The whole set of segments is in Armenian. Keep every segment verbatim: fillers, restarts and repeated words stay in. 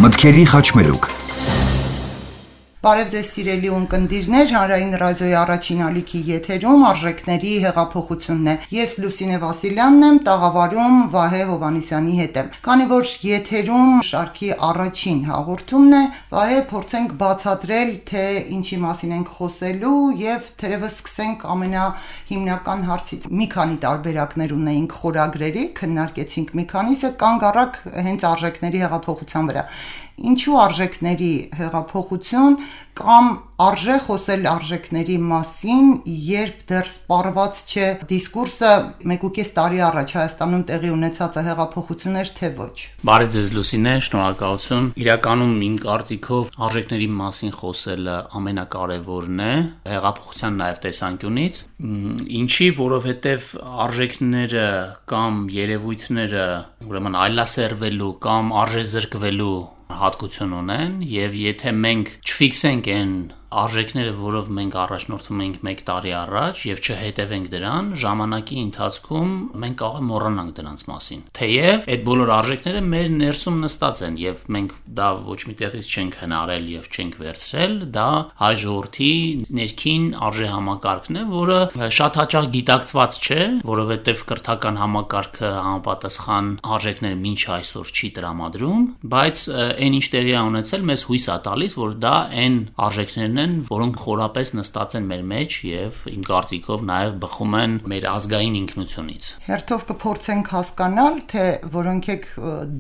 Մտքերի խաչմերուկ։ Բարև ձեզ սիրելի ունկնդիրներ, Հանրային ռադիոյի առաջին ալիքի եթերում արժեքների հեղափոխությունն է։ Ես Լուսինե Վասիլյանն եմ, տաղավարում Վահե Հովհաննիսյանի հետ եմ։ Քանի որ եթերում շարքի առաջին հաղորդումն է, Վահե, փորձենք բացատրել, թե ինչի մասին ենք խոսելու եւ թերևս սկսենք ամենահիմնական հարցից։ Մի քանի տարբերակներ ունեինք խորագրերի, քննարկեցինք մի քանիսը, կանգ առակ հենց արժեքների հեղափոխության վրա։ Ինչու արժեքների հեղափոխություն կամ արժե խոսել արժեքների մասին, երբ դեռ սպառված չէ դիսկուրսը մեկ ու կես տարի առաջ Հայաստանում տեղի ունեցած հեղափոխություններ, թե ոչ։ Բարև ձեզ Լուսինե, շնորհակալություն։ Իրականում իմ կարծիքով արժեքների մասին խոսելը ամենակարևորն է հեղափոխության նաև տեսանկյունից, ինչի, որովհետև արժեքները կամ երևույթները ուրեմն այլասերվելու կամ արժեզրկվելու հատկություն ունեն, եւ եթե մենք չֆիքսենք այն արժեքները, որով մենք առաջնորդվում ենք մեկ տարի առաջ եւ չհետևենք դրան, ժամանակի ընթացքում մենք կարող ենք մոռանանք դրանց մասին։ Թեև այդ բոլոր արժեքները մեր ներսում նստած են եւ մենք դա ոչ մի տեղից չենք հնարել եւ չենք վերցրել, դա հայ ժողովրդի ներքին արժե համակարգն է, որը շատ հաճախ գիտակցված չէ, որովհետեւ կրթական համակարգը համապատասխան արժեքները մինչ այսօր չի տրամադրում, բայց այն ինչ տեղի է ունեցել, մեզ հույս է տալիս, որ դա այն արժեքներն են, որոնք խորապես նստած են մեր մեջ եւ իմ կարծիքով նաեւ բխում են մեր ազգային ինքնությունից։ Հերթով կփորձենք հասկանալ, թե որոնք եք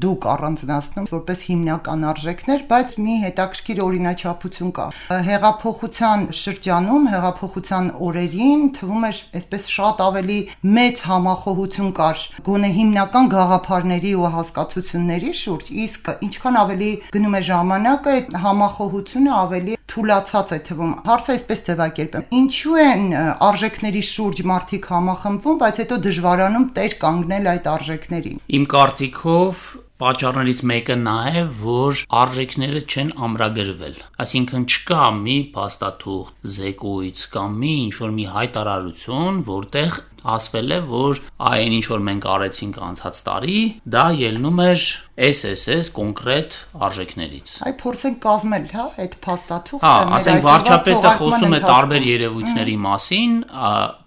դուք առանձնացնում որպես հիմնական արժեքներ, բայց մի հետաքրքիր օրինաչափություն կա։ Հեղափոխության շրջանում, հեղափոխության օրերին թվում էր այսպես շատ ավելի մեծ համախոհություն կար գոնե հիմնական գաղափարների ու հասկացությունների շուրջ, իսկ ինչքան ավելի գնում է ժամանակը, այդ համախոհությունը ավելի թուլացած է թվում։ Հարցը այսպես ձևակերպեմ. ինչու են արժեքների շուրջ մարդիկ համախմբվում, բայց հետո դժվարանում տեր կանգնել այդ արժեքներին։ Իմ կարծիքով պատճառներից մեկը նա է, որ արժեքները չեն ամրագրվել։ Այսինքն չկա մի փաստաթուղթ, զեկույց կամ մի ինչ-որ մի հայտարարություն, որտեղ ասվել է, որ այն ինչ որ մենք արեցինք անցած տարի, դա ելնում էր էս էս էս կոնկրետ արժեքներից։ Այ փորձենք կազմել, հա, այդ փաստաթուղթը։ Հա, ասենք վարչապետը խոսում է տարբեր երևույթների մասին,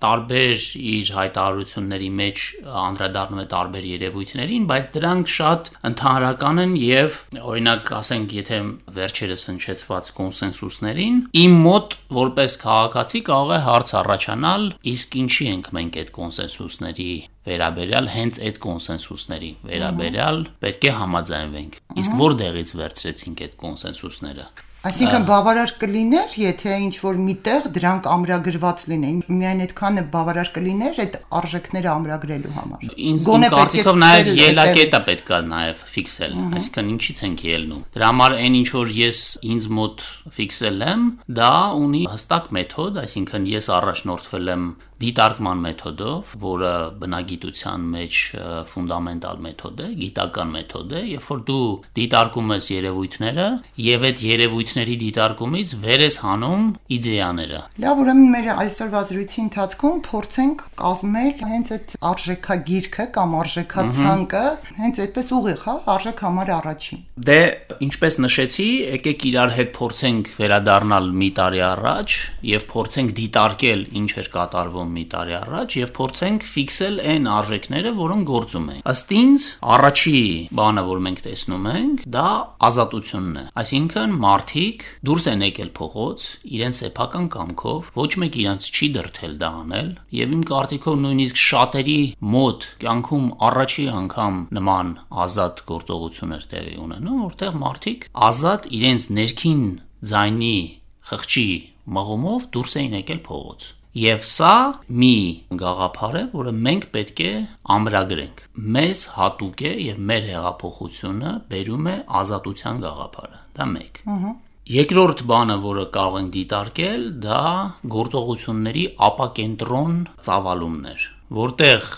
տարբեր իր հայտարարությունների մեջ անդրադառնում է տարբեր երևույթներին, բայց դրանք շատ ընդհանրական են եւ օրինակ ասենք, եթե վերջերս հնչեցված կոնսենսուսներին, իմ մոտ որպես քաղաքացի կարող է հարց առաջանալ, իսկ ինչի ենք մենք այդ կոնսենսուսների վերաբերյալ հենց այդ կոնսենսուսների վերաբերյալ պետք է համաձայնվենք։ Իսկ որտեղից վերցրեցինք այդ կոնսենսուսները։ Այսինքն բավարար կլիներ, եթե ինչ-որ միտեղ դրանք ամրագրված լինեին, միայն այդքանը բավարար կլիներ այդ արժեքները ամրագրելու համար։ Գոնե կարծիքով նաև ելակետը պետք է նաև ֆիքսել, այսինքն ինչից ենք ելնում։ Դրա համար այն ինչ որ ես ինձ մոտ ֆիքսել եմ, դա ունի հստակ մեթոդ, այսինքն ես առաջնորդվել եմ դիտարկման մեթոդով, որը բնագիտության մեջ ֆունդամենտալ մեթոդ է, գիտական մեթոդ է, երբ որ դու դիտարկում ես երևույթները եւ այդ երևույթների դիտարկումից վեր ես հանում իդեաները։ Լավ, ուրեմն մեր այսօրվա զրույցի ընթացքում փորձենք կազմել հենց այդ արժեքագիրքը կամ արժեքացանկը, հենց այդպես ուղիղ, հա, արժեք համար առաջին։ Դե, ինչպես նշեցի, եկեք իրար հետ փորձենք վերադառնալ մի տարի առաջ եւ փորձենք դիտարկել ինչ էր կատարվում մի տարի առաջ եւ փորձենք ֆիքսել այն արժեքները, որոնք գործում են։ Ըստ ինձ, առաջի բանը, որ մենք տեսնում ենք, դա ազատությունն է։ Այսինքն մարդիկ դուրս են եկել փողոց, իրենց սեփական կամքով, ոչ մեկ իրենց չի դրդել դա անել, եւ իմ կարծիքով նույնիսկ շատերի մոտ կյանքում առաջի անգամ նման ազատ գործողություններ տեղի ունենում, որտեղ մարդիկ ազատ իրենց ներքին ձայնի խղճի մղումով դուրս էին եկել փողոց։ Եվ սա մի գաղափար է, որը մենք պետք է ամրագրենք։ Մեզ հատուկ է եւ մեր հեղափոխությունը բերում է ազատության գաղափարը։ Դա մեկ։ Երկրորդ բանը, որը կարող ենք դիտարկել, դա գործողությունների ապակենտրոն ծավալումներ, որտեղ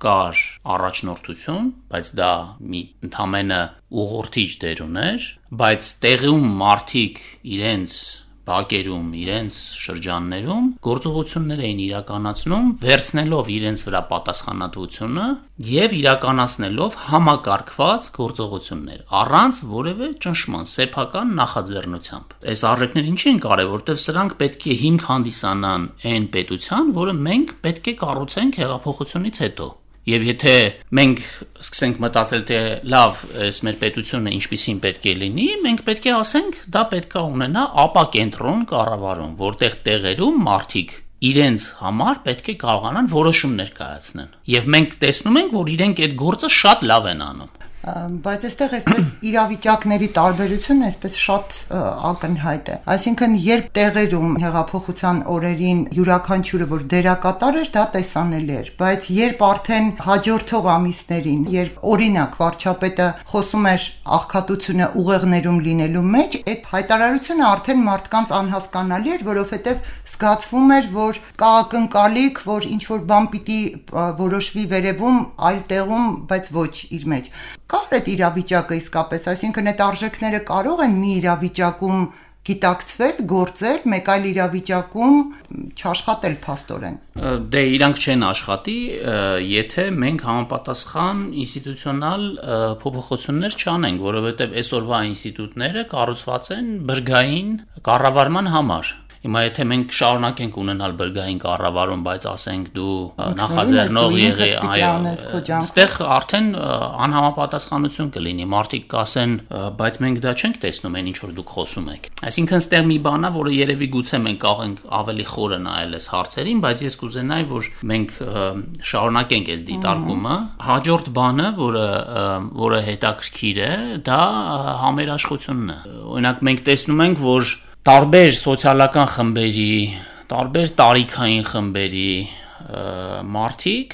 կար առաջնորդություն, բայց դա մի ընդամենը ուղղորդիչ դեր ուներ, բայց տեղում մարդիկ իրենց բակերում, իրենց շրջաններում գործողություններ էին իրականացնում, վերցնելով իրենց վրա պատասխանատվությունը եւ իրականացնելով համակարգված գործողություններ, առանց որևէ ճնշման, սեփական նախաձեռնությամբ։ Այս արժեքները ինչի են կարևոր, որտեղ սրանք պետք է հիմք հանդիսանան այն պետության, որը մենք պետք է կառուցենք հեղափոխությունից հետո։ Եվ եթե մենք սկսենք մտածել, թե լավ, այս մեր պետությունը ինչպիսին պետք է լինի, մենք պետք է ասենք, դա պետք է ունենա ապակենտրոն կառավարում, որտեղ տեղերում մարդիկ իրենց համար պետք է կարողանան որոշումներ կայացնեն։ Եվ մենք տեսնում ենք, որ իրենք այդ գործը շատ լավ են անում։ Բայց այստեղ այսպես իրավիճակների տարբերությունն այսպես շատ ակնհայտ է։ Այսինքն, երբ տեղերում հեղափոխության օրերին յուրաքանչյուրը որ դերակատար էր, դա տեսանելի էր, բայց երբ արդեն հաջորդող ամիսներին, երբ օրինակ վարչապետը խոսում էր աղքատությունը ուղեղներում լինելու մեջ, այդ հայտարարությունը արդեն մարդկանց անհասկանալի էր, որովհետև զգացվում էր, որ կա ակնկալիք, որ ինչ որ բան պիտի որոշվի վերևում, այլ տեղում, բայց ոչ իր մեջ։ Կար այդ իրավիճակը իսկապես, այսինքն այդ արժեքները կարող են մի իրավիճակում գիտակցվել, գործել, մեկ այլ իրավիճակում չաշխատել փաստորեն։ Դե իրանք չեն աշխատի, եթե մենք համապատասխան ինստիտուցիոնալ փոփոխություններ չանենք, որովհետև այսօրվա ինստիտուտները կառուցված են բրգային կառավարման համար։ Հիմա եթե մենք շարունակենք ունենալ բրգային կառավարում, բայց ասենք դու նախաձեռնող եղի, այո, այստեղ արդեն անհամապատասխանություն կլինի, մարդիկ կասեն, բայց մենք դա չենք տեսնում, այն ինչ որ դուք խոսում եք։ Այսինքն ստեղ մի բան է, որը երևի գուցե մենք կարող ավելի խորը նայել այս հարցերին, բայց ես կուզենայի, որ մենք շարունակենք այս դիտարկումը։ Հաջորդ բանը, որը որը հետաքրքիր է, դա համերաշխությունն է։ Օրինակ մենք տեսնում ենք, որ տարբեր սոցիալական խմբերի, տարբեր տարիքային խմբերի մարդիկ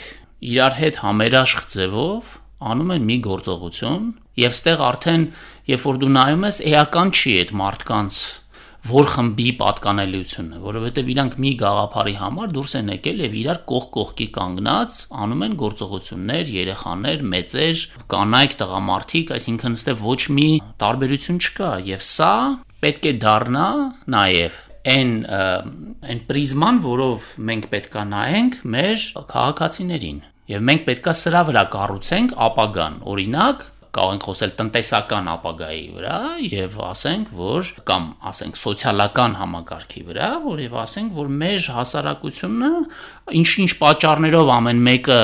իրար հետ համերաշխ ձևով անում են մի գործողություն եւ ստեղ արդեն երբ որ դու նայում ես էական չի այդ մարդկանց որ խմբի պատկանելիությունը, որովհետև իրանք մի գաղափարի համար դուրս են եկել եւ իրար կողք կողքի կանգնած անում են գործողություններ, երեխաներ, մեծեր, կանայք, տղամարդիկ, այսինքն ստեղ ոչ մի տարբերություն չկա եւ սա պետք է դառնա նաև այն այն պրիզման, որով մենք պետքա նայենք մեր քաղաքացիներին եւ մենք պետքա սրա վրա կառուցենք ապագան, օրինակ կարող ենք խոսել տնտեսական ապագայի վրա եւ ասենք, որ կամ ասենք սոցիալական համակարգի վրա, որ եւ ասենք, որ մեր հասարակությունը ինչ-ինչ պատճառներով ամեն մեկը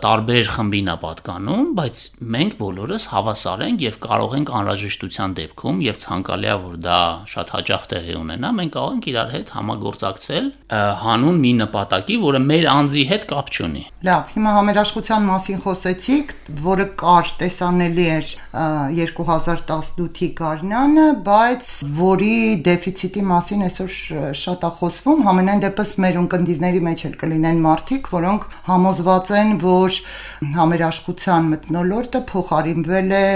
տարբեր խմբին է պատկանում, բայց մենք բոլորս հավասար ենք եւ կարող ենք անհրաժեշտության դեպքում եւ ցանկալի է, որ դա շատ հաճախ տեղի ունենա, մենք կարող ենք իրար հետ համագործակցել հանուն մի նպատակի, որը մեր անձի հետ կապ չունի։ Լավ, հիմա համերաշխության մասին խոսեցիք, որը կար տեսանելի էր երկու հազար տասնութի գարնանը, բայց որի դեֆիցիտի մասին այսօր շատ է խոսվում, համենայն դեպս մեր ունկնդիրների մեջ էլ կլինեն մարդիկ, որոնք համոզված են, որ համերաշխության մթնոլորտը փոխարինվել է,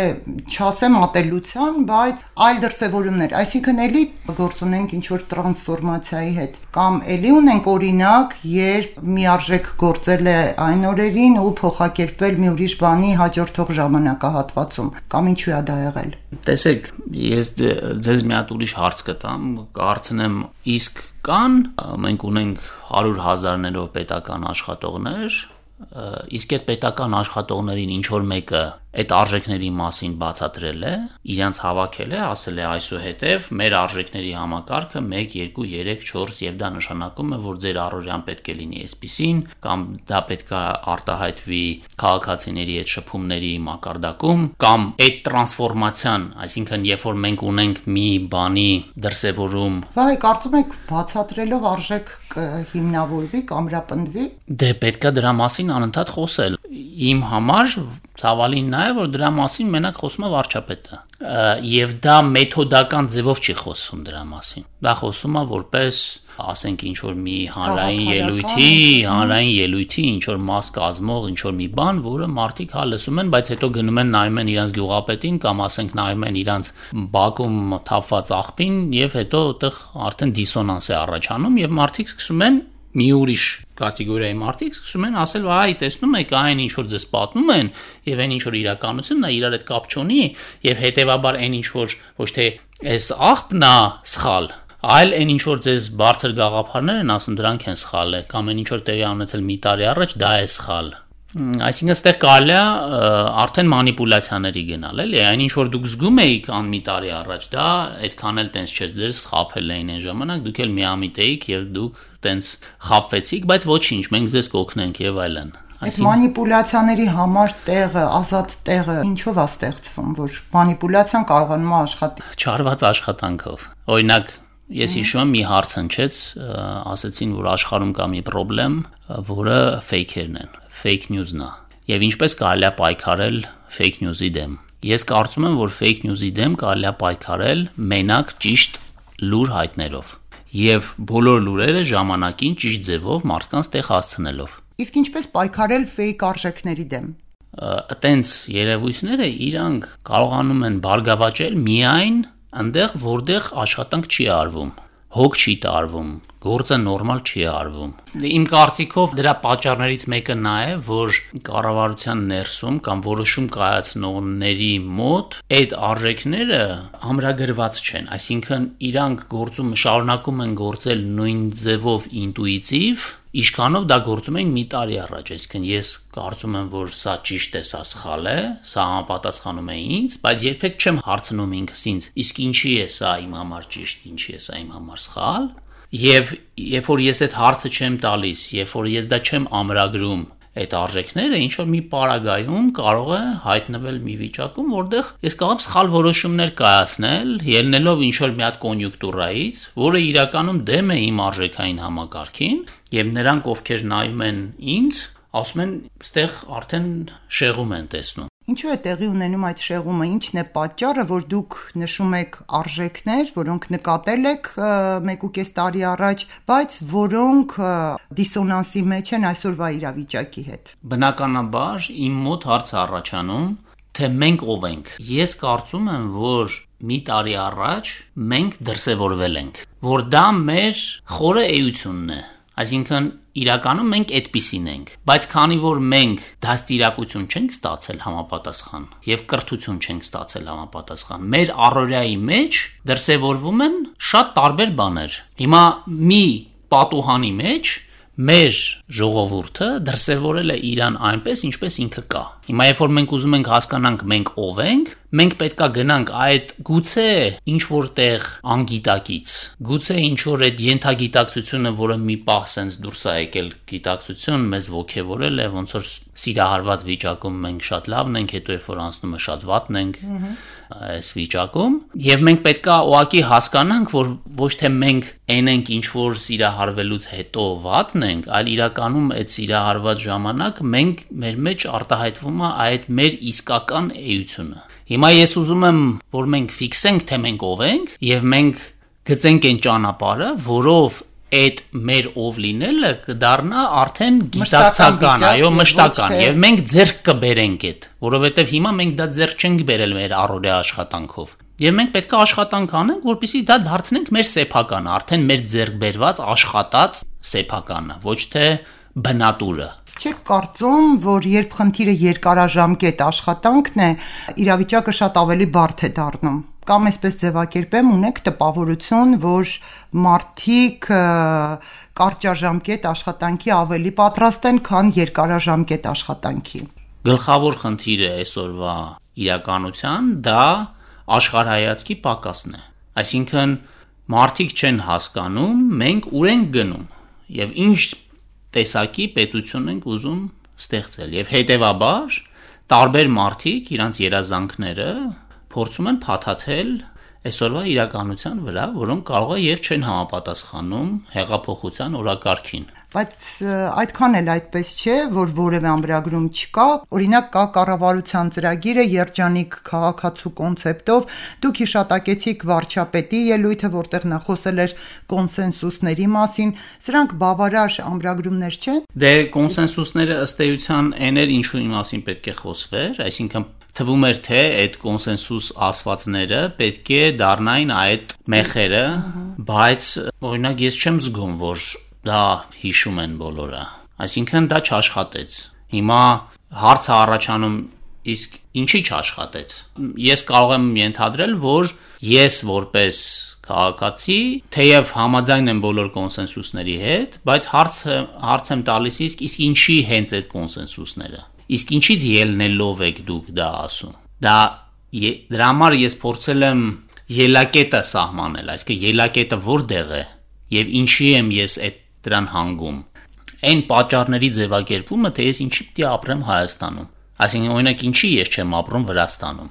չասեմ ատելության, բայց այլ դրսևորումներ, այսինքն էլի գործ ունենք ինչ-որ տրանսֆորմացիայի հետ, կամ էլի ունենք օրինակ, երբ միարժեք գործել է այն օրերին ու փոխակերպվել մի ուրիշ բանի հաջորդող ժամանակահատվածում, կամ ինչու է դա եղել։ Տեսեք, ես ձեզ մի հատ ուրիշ հարց կտամ, կարծնեմ իսկ կան, մենք ունենք հարյուր հազարներով պետական աշխատողներ, իսկ այդ պետական աշխատողներին ինչ որ մեկը այդ արժեքների մասին բացատրել է, իրանց հավաքել է, ասել է այսուհետև մեր արժեքների համակարգը մեկ, երկու, երեք, չորս եւ դա նշանակում է, որ ձեր առօրյան պետք է լինի այսպիսին, կամ դա պետք է արտահայտվի քաղաքացիների այդ շփումների մակարդակում, կամ այդ տրանսֆորմացիան, այսինքն երբ որ մենք ունենք մի բանի դրսևորում։ Վայ, կարծում եք բացատրելով արժեք հիմնավորվի, կամրապնդվի։ Դե պետք է դրա մասին անընդհատ խոսել։ Իմ համար ցավալին նա է, որ դրա մասին մենակ խոսում է վարչապետը, եւ դա մեթոդական ձևով չի խոսում դրա մասին։ Դա խոսում է որպես, ասենք, ինչ որ մի հանրային ելույթի, հանրային ելույթի ինչ որ մաս կազմող ինչ որ մի բան, որը մարդիկ հա լսում են, բայց հետո գնում են նայում են իրանց գյուղապետին կամ ասենք նայում են իրանց բակում թափված աղբին եւ հետո այդտեղ արդեն դիսոնանս է առաջանում եւ մարդիկ սկսում են մի ուրիշ կատեգորիայի մարդիկ սկսում են ասել, այ տեսնում եք, այն ինչ որ ձեզ պատմում են եւ այն ինչ որ իրականությունն է, իրար հետ կապ չունի եւ հետեւաբար այն ինչ որ ոչ թե այս աղբն է սխալ, այլ այն ինչ որ ձեզ բարձր գաղափարներ են ասում, դրանք են սխալ, կամ այն ինչ որ տեղի ունեցել մի տարի առաջ, դա է սխալ։ Այսինքն այստեղ կարելի է արդեն մանիպուլյացիաների գնալ, էլի, այն ինչ որ դուք զգում էիք ան մի տարի առաջ, դա այդքան էլ տենց չէր, ձեր խաբել էին այն ժամանակ, դուք էլ միամիտ էիք եւ դուք տենց խաբվեցիք, բայց ոչինչ, մենք ձեզ կօգնենք եւ այլն։ Այս մանիպուլյացիաների համար տեղը, ազատ տեղը ինչով է ստեղծվում, որ մանիպուլյացիան կարողանում է աշխատի։ Չարված աշխատանքով։ Օրինակ, ես հիշում եմ մի հարց հնչեց, ասացին, որ աշխարհում կա մի խնդրեմ, որը ֆեյքերն են, fake news-ն է։ Եվ ինչպես կարելի է պայքարել fake news-ի դեմ։ Ես կարծում եմ, որ fake news-ի դեմ կարելի է պայքարել մենակ ճիշտ լուր հայտներով եւ բոլոր լուրերը ժամանակին ճիշտ ձևով մարդկանց տեղ հասցնելով։ Իսկ ինչպես պայքարել fake արժեքների դեմ։ Այտենց երևույթները իրանք կարողանում են բարգավաճել միայն այնտեղ, որտեղ աշխատանք չի արվում, հոգ չի տարվում, գործը նորմալ չի արվում։ Իմ կարծիքով դրա պատճառներից մեկը նա է, որ կառավարության ներսում կամ որոշում կայացնողների մոտ այդ արժեքները ամրագրված չեն, այսինքն իրանք գործում շարունակում են գործել նույն ձևով ինտուիտիվ, ինչքանով դա գործում էին մի տարի առաջ, այսինքն ես կարծում եմ, որ սա ճիշտ է, սա սխալ է, սա համապատասխանում է ինձ, բայց երբեք չեմ հարցնում ինքս ինձ, իսկ ինչի է սա իմ համար ճիշտ, ինչի է սա իմ համար սխալ, եւ երբ որ ես այդ հարցը չեմ տալիս, երբ որ ես դա չեմ ամրագրում այդ արժեքները ինչ որ մի պարագայում կարող է հայտնվել մի վիճակում, որտեղ ես կարող եմ սխալ որոշումներ կայացնել, ելնելով ինչ որ մի հատ կոնյուկտուրայից, որը իրականում դեմ է իմ արժեքային համակարգին, եւ նրանք, ովքեր նայում են ինձ, ասում են, «Ստեղ արդեն շեղում են տեսնում»։ Ինչու է տեղի ունենում այդ շեղումը, ինչն է պատճառը, որ դուք նշում եք արժեքներ, որոնք նկատել եք մեկուկես տարի առաջ, բայց որոնք դիսոնանսի մեջ են այսօրվա իրավիճակի հետ։ Բնականաբար իմ մոտ հարց է առաջանում, թե մենք ով ենք։ Ես կարծում եմ, որ մի տարի առաջ մենք դրսևորվել ենք, որ դա մեր խորը էությունն է։ Այսինքն իրականում մենք այդպիսին ենք, բայց քանի որ մենք դաստիարակություն չենք ստացել համապատասխան եւ կրթություն չենք ստացել համապատասխան, մեր առօրյայի մեջ դրսևորվում են շատ տարբեր բաներ։ Հիմա մի պատուհանի մեջ մեր ժողովուրդը դրսևորել է իրան այնպես, ինչպես ինքը կա։ Հիմա երբ որ մենք ուզում ենք հասկանանք մենք ով ենք, մենք պետքա գնանք այդ գուցե ինչ որտեղ անգիտակից, գուցե ինչ որ այդ ենթագիտակցությունը, որը մի պահ sense դուրս է եկել գիտակցություն, մեզ ոգևորել է, ոնց որ սիրահարված վիճակում մենք շատ լավն ենք, հետո երբ որ անցնում է շատ վատն ենք այս վիճակում, եւ մենք պետքա ուղղակի հասկանանք, որ ոչ թե մենք այն ենք ինչ որ սիրահարվելուց հետո վատն ենք, այլ իրականում այդ սիրահարված ժամանակ մենք մեր մեջ արտահայտվում է այդ մեր իսկական էությունը։ Հիմա ես ուզում եմ, որ մենք ֆիքսենք, թե մենք ով ենք, եւ մենք գծենք այն ճանապարհը, որով այդ մեր ով լինելը կդառնա արդեն գիտակցական, այո, մշտական, եւ մենք ձեռք կբերենք այդ, որովհետեւ հիմա մենք դա ձեռք չենք բերել մեր առօրյա աշխատանքով։ Եվ մենք պետք է աշխատանք անենք, որպեսզի դա դարձնենք մեր սեփականը, արդեն մեր ձեռք բերված աշխատած սեփականը, ոչ թե բնատուրը։ Չեք կարծում, որ երբ խնդիրը երկարաժամկետ աշխատանքն է, իրավիճակը շատ ավելի բարդ է դառնում։ Կամ այսպես ձևակերպեմ, ունեք տպավորություն, որ մարդիկ կարճաժամկետ աշխատանքի ավելի պատրաստ են, քան երկարաժամկետ աշխատանքի։ Գլխավոր խնդիրը այսօրվա իրականության դա աշխարհայացքի պակասն է։ Այսինքն մարդիկ չեն հասկանում, մենք ուր ենք գնում եւ ինչ տեսակի պետություն ենք ուզում ստեղծել եւ հետեւաբար տարբեր մարդիկ իրանց երազանքները փորձում են փաթաթել այսօրվա իրականության վրա, որոնք կարող է եւ չեն համապատասխանում հեղափոխության օրակարգին։ Բայց այդքան էլ այդպես չէ, որ որևէ ամրագրում չկա, օրինակ կա կառավարության ծրագիրը երջանիկ քաղաքացու կոնցեպտով, դուք հիշատակեցիք վարչապետի ելույթը, որտեղ նա խոսել էր կոնսենսուսների մասին, սրանք բավարար ամրագրումներ չեն։ Դե կոնսենսուսները ըստ էության այն էր, ինչու մասին պետք է խոսվեր, այսինքն թվում էր, թե այդ կոնսենսուս ասվածները պետք է դառնային այդ մեխերը, բայց օրինակ ես չեմ զգում, որ դա հիշում են բոլորը, այսինքն դա չաշխատեց։ Հիմա հարցը առաջանում, իսկ ինչի չաշխատեց։ Ես կարող եմ ենթադրել, որ ես որպես քաղաքացի, թեև համաձայն եմ բոլոր կոնսենսուսների հետ, բայց հարց հարց եմ տալիս իսկ իսկ ինչի հենց այդ կոնսենսուսները։ Իսկ ինչից ելնելով եք դուք դա ասում։ Դա դրա համար ես փորձել եմ ելակետը սահմանել, այսինքն ելակետը որտեղ է եւ ինչի եմ ես այդ դրան հանգում։ Այն պատճառների ձևակերպումը, թե ես ինչի պիտի ապրեմ Հայաստանում։ Այսինքն օրինակ ինչի ես չեմ ապրում Վրաստանում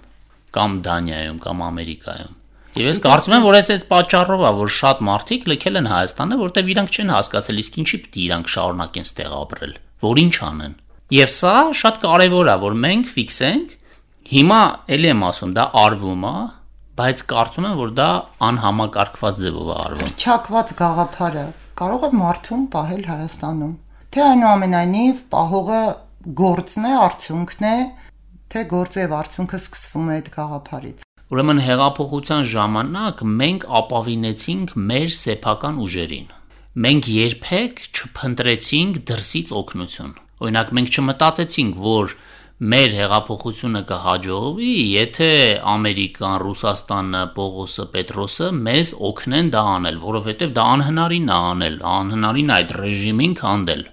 կամ Դանիայում կամ Ամերիկայում։ Եվ ես կարծում եմ, որ այս պատճառով է, որ շատ մարդիկ լքել են Հայաստանը, որտեղ իրանք չեն հասկացել իսկ ինչի պիտի իրանք շարունակեն ստեղ ապրել, որ ինչ անեն։ Եվ սա շատ կարևոր է, որ մենք ֆիքսենք։ Հիմա ելի եմ ասում, դա արվում է, բայց կարծում եմ, որ դա անհամակարգված ձևով է արվում։ Չակված գաղափարը կարող է մարդուն պահել Հայաստանում։ Թե այնուամենայնիվ պահողը գործն է, արդյունքն է, թե գործը եւ արդյունքը սկսվում է այդ գաղափարից։ Ուրեմն հեղափոխության ժամանակ մենք ապավինեցինք մեր սեփական ուժերին։ Մենք երբեք չփնտրեցինք դրսից օգնություն։ Օրինակ մենք չմտածեցինք, որ մեր հեղափոխությունը կհաջողվի, եթե Ամերիկան, Ռուսաստանը, Պողոսը, Պետրոսը մեզ օգնեն դա անել, որովհետև դա անհնարին է անել, անհնարին է այդ ռեժիմին քանդել։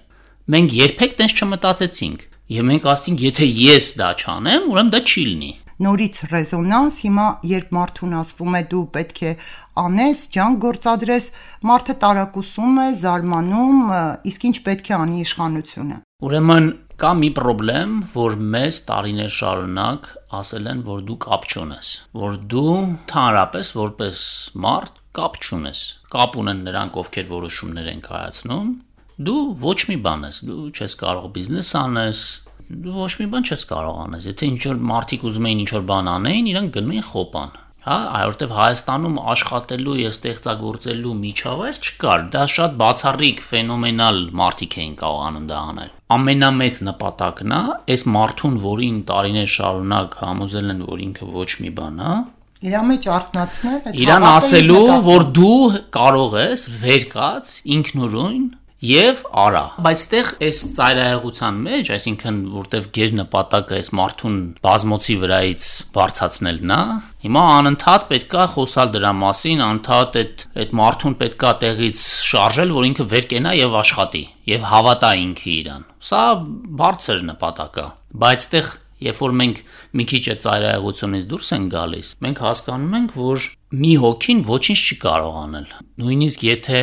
Մենք երբեք տենց չմտածեցինք, եւ մենք ասացինք, եթե ես դա չանեմ, ուրեմն դա չի լինի։ Նորից ռեզոնանս, հիմա երբ մարդուն ասվում է դու պետք է անես, ջանք գործադրես, մարդը տարակուսում է, զարմանում, իսկ ինչ պետք է անի իշխանությունը։ Ուրեմն կա մի խնդրեմ, որ մեզ տարիներ շարունակ ասել են, որ դու կապ չունես, որ դու ընդհանրապես որպես մարդ կապ չունես, կապ ունեն նրանք, ովքեր որոշումներ են կայացնում, դու ոչ մի բան ես, դու չես կարող բիզնես անես, դու ոչ մի բան չես կարող անես, եթե ինչ-որ մարդիկ ուզում էին ինչ-որ բան անեին, իրանք գնում էին խոպան, հա, այորտև Հայաստանում աշխատելու եւ ստեղծագործելու միջավայր չկար, դա շատ բացառիկ, ֆենոմենալ մարդիկ էին կարողանում դա անել։ Ամենամեծ նպատակն է, այս մարդուն, որին տարիներ շարունակ համոզել են, որ ինքը ոչ մի բան է, իր մեջ արտնացնել, այդ իրան ասելու, որ դու կարող ես վեր կաց, ինքնուրույն Եվ արա, բայց այդտեղ այս ծայրահեղության մեջ, այսինքն որտեվ գեր նպատակը այս մարդուն բազմոցի վրայից բարձրացնելն է, հիմա անընդհատ պետքա խոսալ դրա մասին, անընդհատ այդ այդ մարդուն պետքա տեղից շարժել, որ ինքը վեր կենա եւ աշխատի եւ հավատա ինքը իրան։ Սա բարձր նպատակ է, բայց այդտեղ Երբ որ մենք մի քիչ այդ ծայրահեղությունից դուրս ենք գալիս, մենք հասկանում ենք, որ մի հոգին ոչինչ չի կարող անել։ Նույնիսկ եթե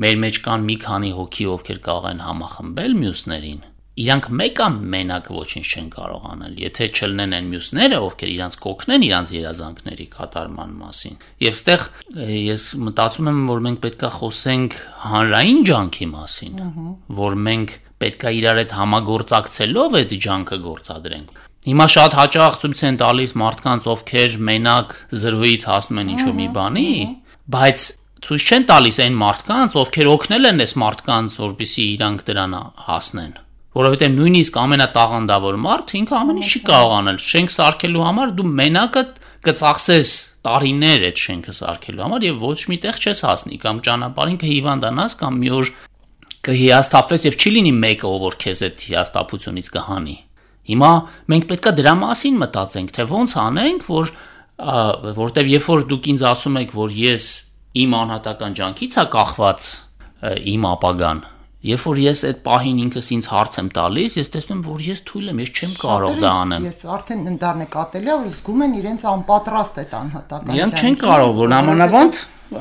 մեր մեջ կան մի քանի հոգի, ովքեր կարող են համախմբել մյուսներին, իրանք մեկը մենակ ոչինչ չեն կարող անել։ Եթե չլինեն այն մյուսները, ովքեր իրանք կօգնեն իրանք երազանքների կատարման մասին։ Եվ այստեղ ես մտածում եմ, որ մենք պետքա խոսենք հանրային ջանքի մասին, որ մենք պետքա իրար հետ համագործակցելով այդ ջանքը գործադրենք։ Հիմա շատ հաճախ ցույց են տալիս մարդկանց, ովքեր մենակ զրոյից հասնում են ինչ-որ մի բանի, բայց ցույց չեն տալիս այն մարդկանց, ովքեր օգնել են այս մարդկանց, որպեսզի իրանք դրան հասնեն։ Որովհետև նույնիսկ ամենատաղանդավոր մարդը ինքը ամեն ինչ չի կարող անել։ Շենք սարքելու համար դու մենակը կծախսես տարիներ այդ շենքը սարքելու համար եւ ոչ միտեղ չես հասնի, կամ ճանապարհին կհիվանդանաս, կամ մի օր կհիասթափվես եւ չի լինի մեկը, ով որ քեզ այդ հիասթափությունից կհանի։ Հիմա մենք պետքա դրա մասին մտածենք, թե ոնց անենք, որ որտեվ երբ որ դուք ինձ ասում եք, որ ես իմ անհատական ջանքից է կախված իմ ապագան, երբ որ ես այդ պահին ինքս ինձ հարց եմ տալիս, ես տեսնում եմ, որ ես թույլ եմ, ես չեմ կարող դա անեմ։ Ես արդեն ընդառ նկատելի է, որ զգում են իրենց անպատրաստ այդ անհատական։ Իրանք չեն կարող, որ նամանավանդ,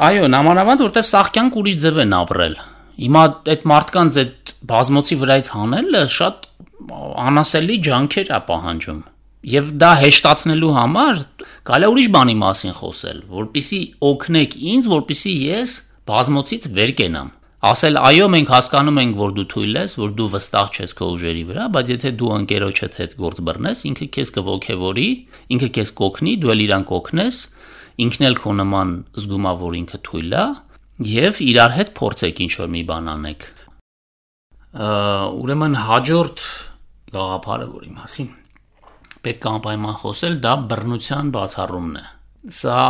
այո, նամանավանդ, որտեվ սաղքյանք ուրիշ ձև են ապրել։ Հիմա այդ մարդկանց այդ բազմոցի վրայից հանելը շատ անասելի ջանքեր է պահանջում։ Եվ դա հեշտացնելու համար կարելի է ուրիշ բանի մասին խոսել, որպեսզի օգնեք ինձ, որպեսզի ես բազմոցից վեր կենամ։ Ասել այո, մենք հասկանում ենք, որ դու թույլ ես, որ դու վստահ չես քո ուժերի վրա, բայց եթե դու ընկերոջդ հետ գործ բռնես, ինքը քեզ կողքեվորի, ինքը քեզ կօգնի, դու էլ իրան կօգնես, ինքն էլ քո նման զգում է, որ ինքը թույլ է, եւ իրար հետ փորձեք ինչ-որ մի բան անեք։ Ուրեմն հաջորդ գաղափարը, որի մասին պետք է անպայման խոսել, դա բռնության բացառումն է։ Սա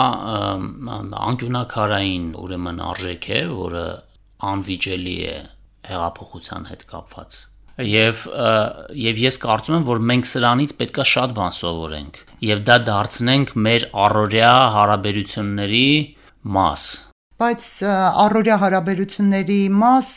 անկյունակարային ուրեմն արժեք է, որը անվիճելի է հեղափոխության հետ կապված։ Եվ եւ ես կարծում եմ, որ մենք սրանից պետքա շատ բան սովորենք եւ դա դարձնենք մեր առօրյա հարաբերությունների մաս։ Բայց առօրյա հարաբերությունների մաս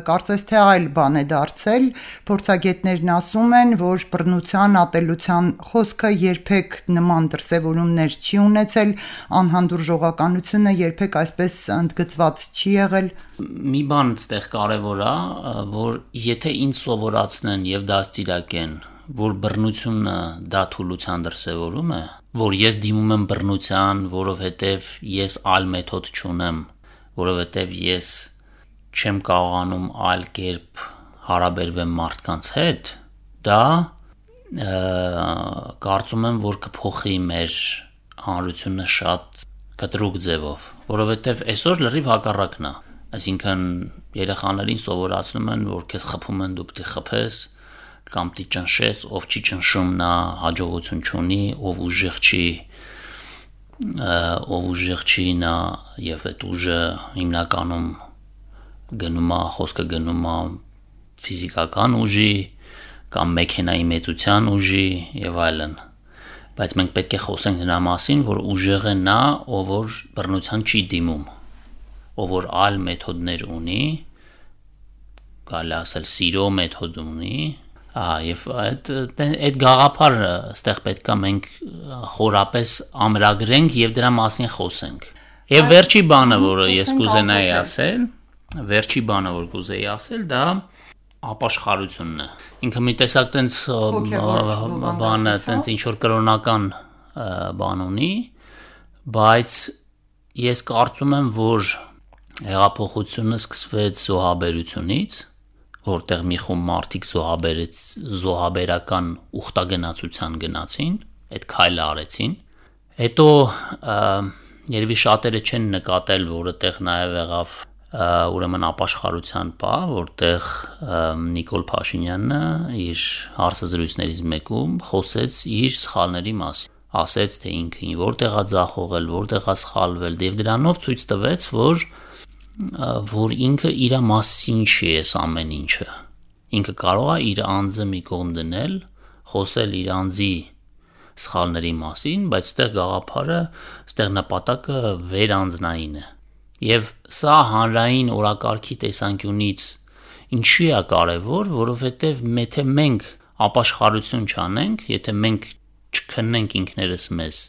կարծես թե այլ բան է դարձել, փորձագետներն ասում են, որ բռնության, ատելության խոսքը երբեք նման դրսևորումներ չի ունեցել, անհանդուրժողականությունը երբեք այսպես ընդգծված չի եղել։ Մի բան այդտեղ կարևոր է, որ եթե ինձ սովորացնեն եւ դաստիարակեն, որ բռնությունը դա թուլության դրսևորում է, որ ես դիմում եմ բռնության, որովհետև ես այլ մեթոդ չունեմ, որովհետև ես չեմ կարողանում այլ կերպ հարաբերվեմ մարդկանց հետ, դա կարծում եմ, որ կփոխի մեր հանրությունը շատ կտրուկ ձևով, որովհետև այսօր լրիվ հակառակն է, այսինքն երեխաներին սովորացնում են, որ քեզ խփում են, դու պետք է խփես, կամ դի ճնշես, ով չի ճնշում նա հաջողություն չունի, ով ուժեղ չի, ով ուժեղ չի նա եւ այդ ուժը հիմնականում գնում է, խոսքը գնում է ֆիզիկական ուժի կամ մեքենայի մեծության ուժի եւ այլն, բայց մենք պետք է խոսենք նրա մասին, որ ուժեղ է նա, ով որ բռնության չի դիմում, ով որ այլ մեթոդներ ունի, կարելի ասել սիրո մեթոդ ունի, Եվ այդ այդ գաղափարը այստեղ պետքա մենք խորապես ամրագրենք եւ դրա մասին խոսենք։ Եվ վերջի բանը, որը ես կուզենայի ասել, վերջի բանը, որ կուզեի ասել, դա ապաշխարությունն է։ Ինքը մի տեսակ տենց բանը, տենց ինչ որ կրոնական բան ունի, բայց ես կարծում եմ, որ հեղափոխությունը սկսվեց զոհաբերությունից, որտեղ մի խումբ մարդիկ զոհաբերեց զոհաբերական ուխտագնացության գնացին, այդ քայլը արեցին։ Հետո երևի շատերը չեն նկատել, որ այդտեղ նաև եղավ ուրեմն ապաշխարության պահ, որտեղ Նիկոլ Փաշինյանը իր հարցազրույցներից մեկում խոսեց իր սխալների մասին, ասեց, թե ինքը որտեղ է ձախողել, որտեղ է սխալվել, եւ դրանով ցույց տվեց, որ որ ինքը իր մասին չի էս ամեն ինչը, ինքը կարող է իր անձը մի կողմ դնել, խոսել իր անձի սխալների մասին, բայց այդտեղ գաղափարը, այդտեղ նպատակը վերանձնային է, եւ սա հանրային օրակարգի տեսանկյունից ինչի է կարևոր, որովհետեւ եթե մենք ապաշխարություն չանենք, եթե մենք չքննենք ինքներս մեզ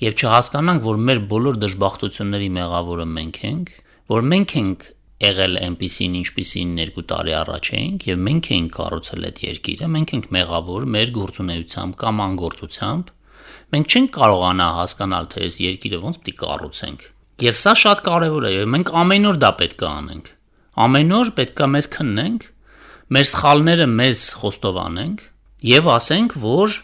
եւ չհասկանանք, որ մեր բոլոր դժբախտությունների մեղավորը մենք ենք, որ մենք ենք եղել այնպիսին, ինչպիսին երկու տարի առաջ էինք եւ մենք ենք կառուցել այդ երկիրը, մենք ենք մեղավոր մեր գործունեությամբ կամ անգործությամբ, մենք չենք կարողանա հասկանալ, թե այս երկիրը ոնց պետք է կառուցենք։ Եվ սա շատ կարեւոր է, եւ մենք ամեն օր դա պետք է անենք։ Ամեն օր պետք է մեզ քննենք, մեր սխալները մեզ խոստովանենք եւ ասենք, որ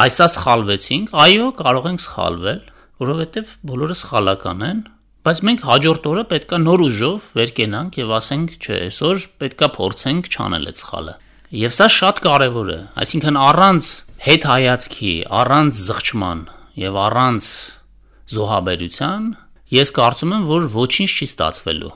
այսա սխալվեցինք, այո, կարող ենք սխալվել, որովհետեւ բոլորը սխալական են, բայց մենք հաջորդ օրը պետքա նոր ուժով վեր կենանք եւ ասենք, չէ, այսօր պետքա փորձենք չանել այդ սխալը։ Եվ սա շատ կարեւոր է, այսինքն առանց հետ հայացքի, առանց զղջման եւ առանց զոհաբերության, ես կարծում եմ, որ ոչինչ չի ստացվելու։